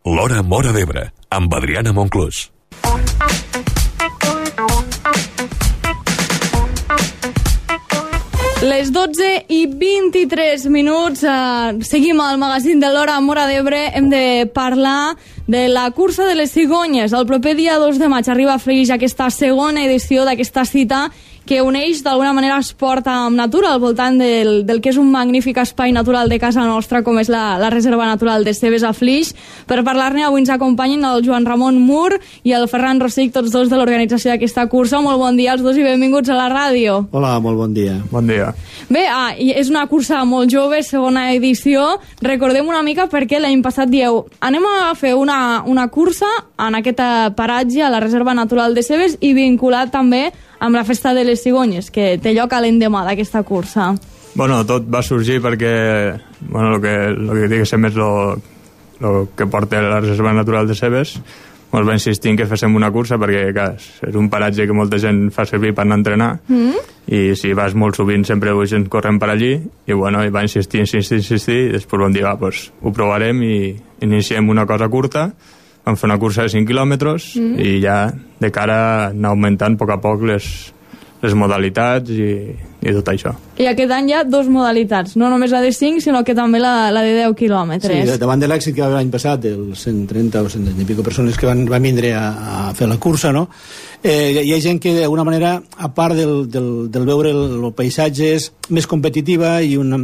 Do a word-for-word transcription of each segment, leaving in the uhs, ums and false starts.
L'Hora Móra d'Ebre, amb Adriana Monclús. Les dotze i vint-i-tres minuts, eh, seguim al magazín de l'Hora Móra d'Ebre. Hem de parlar de la cursa de les cigonyes. El proper dia dos de maig arriba a Flix aquesta segona edició d'aquesta cita que uneix d'alguna manera esport amb natura al voltant del, del que és un magnífic espai natural de casa nostra com és la, la Reserva Natural de Cebes a Flix. Per parlar-ne avui ens acompanyen el Joan Ramon Mur i el Ferran Rossic, tots dos de l'organització d'aquesta cursa. Molt bon dia als dos i benvinguts a la ràdio. Hola, molt bon dia. Bon dia. Bé, ah, és una cursa molt jove, segona edició. Recordem una mica perquè l'any passat dieu anem a fer una, una cursa en aquest paratge a la Reserva Natural de Cebes i vinculat també amb la Festa de les Cigonyes, que té lloc a l'endemà d'aquesta cursa. Bueno, tot va sorgir perquè, bueno, el que, lo que diguéssim és el que porta la Reserva Natural de Cebes. Ens va insistir en que féssim una cursa perquè, clar, és un paratge que molta gent fa servir per anar a entrenar, mm. i si vas molt sovint sempre la gent corrent per allí, i bueno, i va insistir, insistir, insistir, i després vam dir, va, pues, ho provarem i iniciem una cosa curta. Vam fer una cursa de cinc quilòmetres mm. i ja de cara a anar augmentant a poc a poc les, les modalitats i, i tot això. I aquest any hi ha dos modalitats, no només la de cinc, sinó que també la, la de deu quilòmetres. Sí, davant de l'èxit que va haver l'any passat, dels cent trenta o cent i pico persones que van, van vindre a, a fer la cursa, no? Eh, hi ha gent que d'alguna manera, a part del, del, del veure el, el paisatge, és més competitiva i una...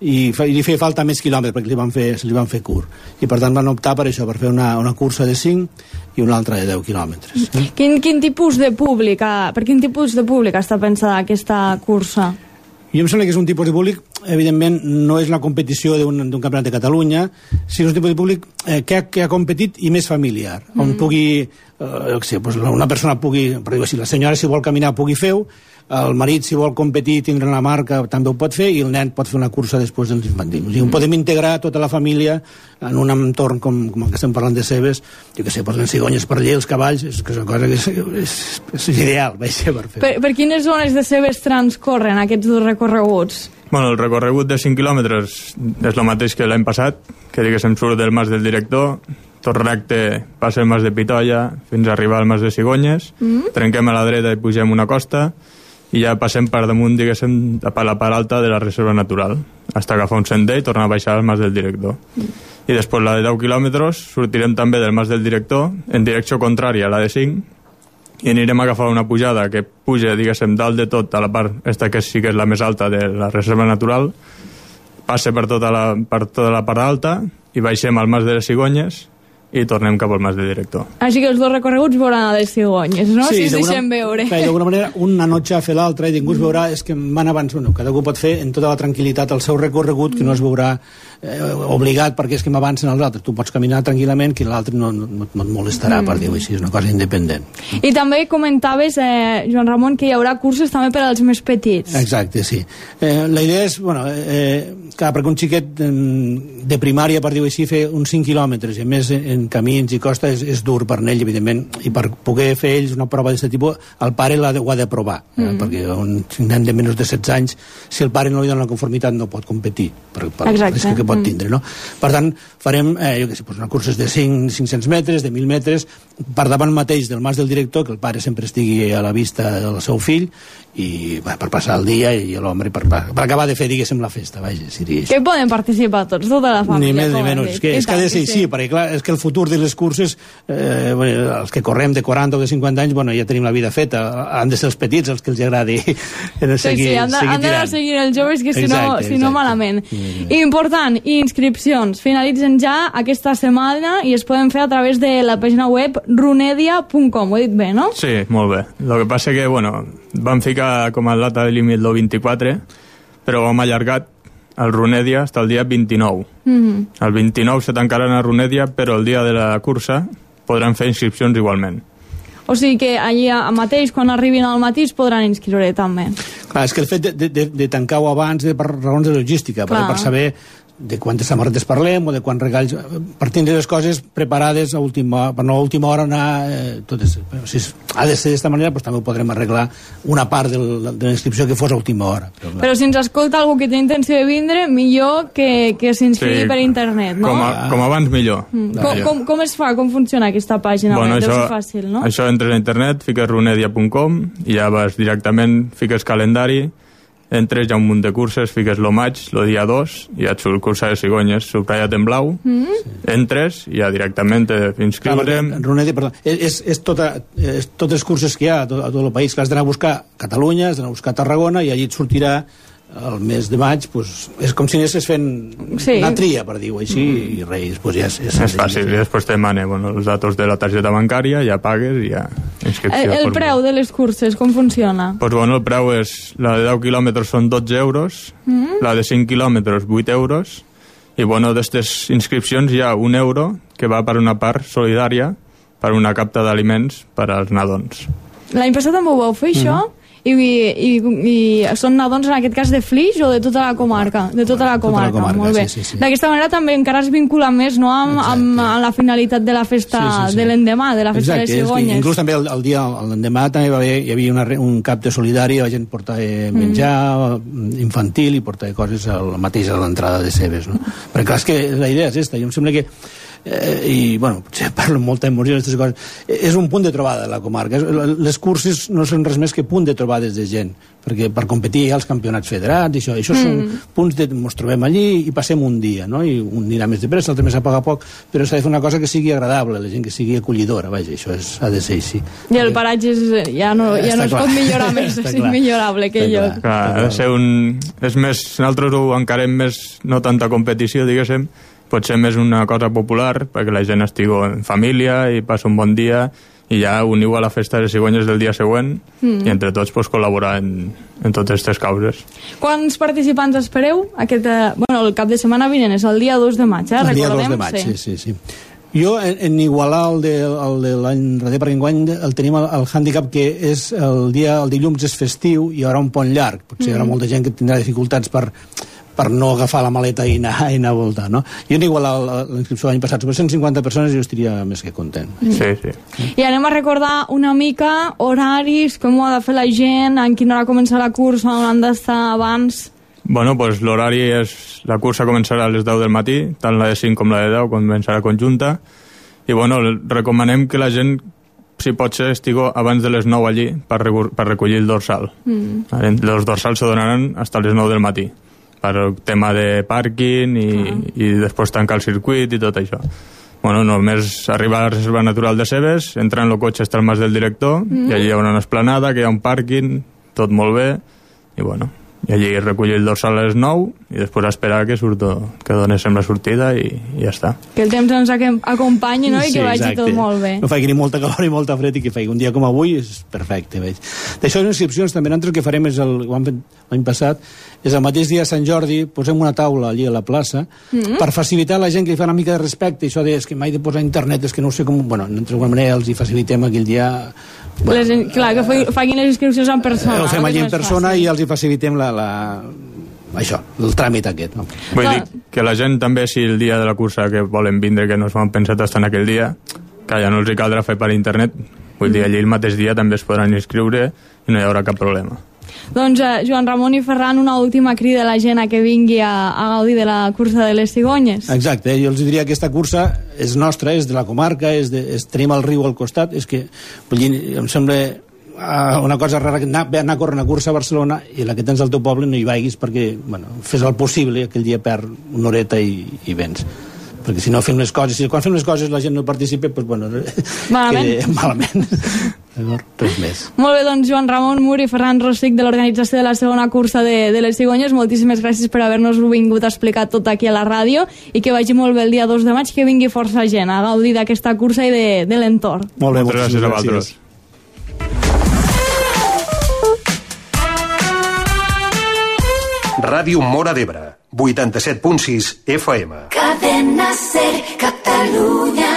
i li feia falta més quilòmetres perquè li van fer, se li van fer curt i per tant van optar per això, per fer una, una cursa de cinc i una altra de deu quilòmetres. Quin, quin tipus de públic per quin tipus de públic està pensada aquesta cursa? Jo em sembla que és un tipus de públic, evidentment no és la competició d'un campionat de Catalunya, sinó un tipus de públic eh, que, ha, que ha competit i més familiar, mm. on pugui eh, sé, pues una persona pugui, per dir-ho així, la senyora si vol caminar pugui fer-ho, el marit si vol competir i tindre la marca també ho pot fer i el nen pot fer una cursa després dels infantils. O sigui, podem integrar tota la família en un entorn com, com el que estem parlant de Cebes, jo què sé, pues les cigonyes per allà, els cavalls, és, que és una cosa que és, és, és ideal, vaig ser per fer. Per, per quines zones de Cebes transcorren aquests dos recorreguts? Bueno, el recorregut de cinc quilòmetres és el mateix que l'any passat, que diguéssim surt del Mas del Director, tot recte passa el Mas de Pitoia fins a arribar al Mas de Cigonyes, mm. trenquem a la dreta i pugem una costa, i ja passem per damunt, diguéssim, per la part alta de la Reserva Natural, fins a agafar un sender i tornar a baixar al Mas del Director. Mm. I després la de deu quilòmetres sortirem també del Mas del Director en direcció contrària a la de cinc i anirem a agafar una pujada que puja, diguéssim, dalt de tot a la part, esta que sí que és la més alta de la Reserva Natural, passa per tota la, per tota la part alta i baixem al Mas de les Cigonyes i tornem cap al Mas de Director. Així que els dos recorreguts veuran a les cigonyes, no? Sí, si es deixen veure. D'alguna manera, una notxa a fer l'altra i ningú es veurà, és que van abans, bueno, cada algú pot fer en tota la tranquil·litat el seu recorregut, que no es veurà eh, obligat perquè és que m'avancen els altres. Tu pots caminar tranquil·lament, que l'altre no, no, no et molestarà, mm. per dir-ho així, és una cosa independent. I també comentaves, eh, Joan Ramon, que hi haurà curses també per als més petits. Exacte, sí. Eh, la idea és, bueno, eh, clar, perquè un xiquet eh, de primària, per dir-ho així, fer uns cinc quilòmetres, i a més en camins i costa és, és dur per ell, evidentment, i per poder fer ells una prova d'aquest tipus, el pare l'ha de, ho ha de provar, mm. eh, perquè un nen de menys de setze anys, si el pare no li dona la conformitat no pot competir, per, per el risc que pot tindre, no? Per tant, farem, eh, jo què sé, una curses de cinc, cinc-cents metres, de mil metres, per davant mateix del Mas del Director, que el pare sempre estigui a la vista del seu fill, i va, per passar el dia i l'home per, per, per acabar de fer, diguéssim, la festa, vaja, si diria. Que poden participar tots, tota la família. Ni més ni menys, és que, és que ha de ser així, perquè clar, és que el futur de les curses, eh, bueno, els que correm de quaranta o de cinquanta anys, bueno, ja tenim la vida feta, han de ser els petits els que els agradi seguir, sí, sí, han de, seguir han d'anar seguint els joves, que si, exacte, no, si no malament. Mm. Important, inscripcions finalitzen ja aquesta setmana i es poden fer a través de la pàgina web runedia punt com, ho he dit bé, no? Sí, molt bé. El que passa que, bueno, vam ficar com a data de límit el vint-i-quatre, però ho hem allargat el Runedia està el dia vint-i-nou. Mm-hmm. El vint-i-nou se tancaran a Runedia, però el dia de la cursa podran fer inscripcions igualment. O sigui que allà mateix, quan arribin al matí, es podran inscriure també. Clar, és que el fet de, de, de tancar-ho abans és per raons de logística, per, per saber de quantes samarretes parlem o de quants regals, per tindre les coses preparades a última, per no a última hora anar eh, totes, si ha de ser d'esta manera, doncs també ho podrem arreglar una part del, de la inscripció que fos a última hora. Però, però si ens escolta algú que té intenció de vindre, millor que, que s'inscrigui sí, per internet, no? Com, a, com abans millor. Mm. Com, com, com es fa? Com funciona aquesta pàgina? Bueno, Deu això, ser fàcil, no? Això entres a internet, fiques runedia punt com i ja vas directament, fiques calendari, entres, hi ha un munt de curses, fiques lo maig, lo dia dos, i ja et surt cursa de cigonyes, subratllat en blau, mm. entres i ja directament t'inscriurem. Runedia, perdó, és, és, tota, és totes les curses que hi ha a tot, a tot el país, que has d'anar a buscar Catalunya, has d'anar a buscar Tarragona, i allí et sortirà el mes de maig, pues, és com si anessis fent sí. una tria, per dir-ho així, mm. i res, pues ja és... És, és fàcil, i després te demana bueno, els datos de la targeta bancària, ja pagues i ja inscripció. El, el preu de les curses, com funciona? Pues bueno, el preu és, la de deu quilòmetres són dotze euros, mm. la de cinc quilòmetres vuit euros, i bueno, d'aquestes inscripcions hi ha un euro que va per una part solidària per una capta d'aliments per als nadons. L'any passat també ho vau fer, això? Mm. I, i, i són nadons en aquest cas de Flix o de tota la comarca? De tota la comarca, tota la comarca, molt bé. Sí, sí, sí. D'aquesta manera també encara es vincula més, no, amb, amb, amb la finalitat de la festa sí, sí, sí. de l'endemà, de la festa Exacte, de les cigonyes. Inclús també el, el dia, l'endemà també va haver, hi havia una, un cap de solidari, la gent portava menjar mm. infantil i portava coses al mateix a l'entrada de Cebes, no? Perquè clar, és que la idea és aquesta, jo em sembla que Eh, i bueno, potser parlo amb molta emoció d'aquestes coses, és un punt de trobada de la comarca. Les curses no són res més que punt de trobades de gent, perquè per competir hi ha els campionats federats i això, això mm. són punts de ens trobem allí i passem un dia, no? I un anirà més de pressa, l'altre més a poc a poc, però s'ha de fer una cosa que sigui agradable, la gent que sigui acollidora, vaja, això és, ha de ser així. I el paratge és, ja no, ja no es pot millorar més, és immillorable aquell lloc. Clar, ha de ser un... És més, nosaltres ho encarem més, no tanta competició, diguéssim, pot ser més una cosa popular perquè la gent estigui en família i passa un bon dia i ja uniu a la festa de cigonyes del dia següent mm. i entre tots pues, col·laborar en, en totes aquestes causes. Quants participants espereu? Aquest, eh, bueno, el cap de setmana vinent és el dia dos de maig, eh? El dia Recordem, dos de maig, sí, sí, sí. sí. Jo, en, en igualar el de, el de l'any darrer, perquè enguany el tenim el, el hàndicap que és el dia, el dilluns és festiu i hi haurà un pont llarg. Potser mm. hi haurà molta gent que tindrà dificultats per per no agafar la maleta i anar, i anar a voltar, no? Jo n'he igualat l'inscripció l'any passat, sobre cent cinquanta persones i jo estaria més que content. Sí, sí. I anem a recordar una mica horaris, com ho ha de fer la gent, en quina hora comença la cursa, on han d'estar abans... Bueno, pues l'horari és... La cursa començarà a les deu del matí, tant la de cinc com la de deu, començarà conjunta, i bueno, recomanem que la gent, si pot ser, estigui abans de les nou allí per, per recollir el dorsal. Mm. Els dorsals se donaran fins a les nou del matí, per tema de pàrquing i, ah. i després tancar el circuit i tot això. Bueno, només arribar a la reserva natural de Cebes, entrar en el cotxe hasta el mas del director, mm. i allí hi ha una esplanada, que hi ha un pàrquing, tot molt bé, i bueno, i allí recollir el dorsal a les nou i després esperar que surto, que donéssim la sortida i, i ja està. Que el temps ens acompanyi, no? I sí, que vagi exacte. Tot molt bé. No faci ni molta calor ni molta fred i que faci un dia com avui és perfecte, veig. D'això les inscripcions també nosaltres el que farem és el, ho hem fet l'any passat, és el mateix dia de Sant Jordi posem una taula allí a la plaça mm-hmm. per facilitar a la gent que li fa una mica de respecte, això de és que mai de posar internet, és que no sé com... Bueno, d'alguna manera els hi facilitem aquell dia... Bueno, les, clar, que facin les inscripcions en persona. Ho fem allí en persona fàcil. I els hi facilitem la, la, això, el tràmit aquest. No? Vull dir que la gent també, si el dia de la cursa que volen vindre, que no s'ho han pensat estar en aquell dia, que ja no els hi caldrà fer per internet, vull dir, allí el mateix dia també es podran inscriure i no hi haurà cap problema. Doncs eh, Joan Ramon i Ferran, una última crida a la gent a que vingui a, a gaudir de la cursa de les cigonyes. Exacte, eh? Jo els diria que aquesta cursa és nostra, és de la comarca, és de, és, tenim el riu al costat, és que vull dir, em sembla uh, una cosa rara que anar, anar a córrer una cursa a Barcelona i la que tens al teu poble no hi vagis perquè, bueno, fes el possible, aquell dia perd una horeta i, i vens. Perquè si no fem les coses, si quan fem les coses la gent no participa, doncs, bueno, malament. Que, malament. Res més. Molt bé, doncs Joan Ramon Mur i Ferran Rossic de l'organització de la segona cursa de, de les cigonyes, moltíssimes gràcies per haver-nos vingut a explicar tot aquí a la ràdio i que vagi molt bé el dia dos de maig, que vingui força gent a gaudir d'aquesta cursa i de, de l'entorn. Molt bé, moltes gràcies a vosaltres. Ràdio Móra d'Ebre, vuitanta-set punt sis F M. Cadena Ser, Catalunya.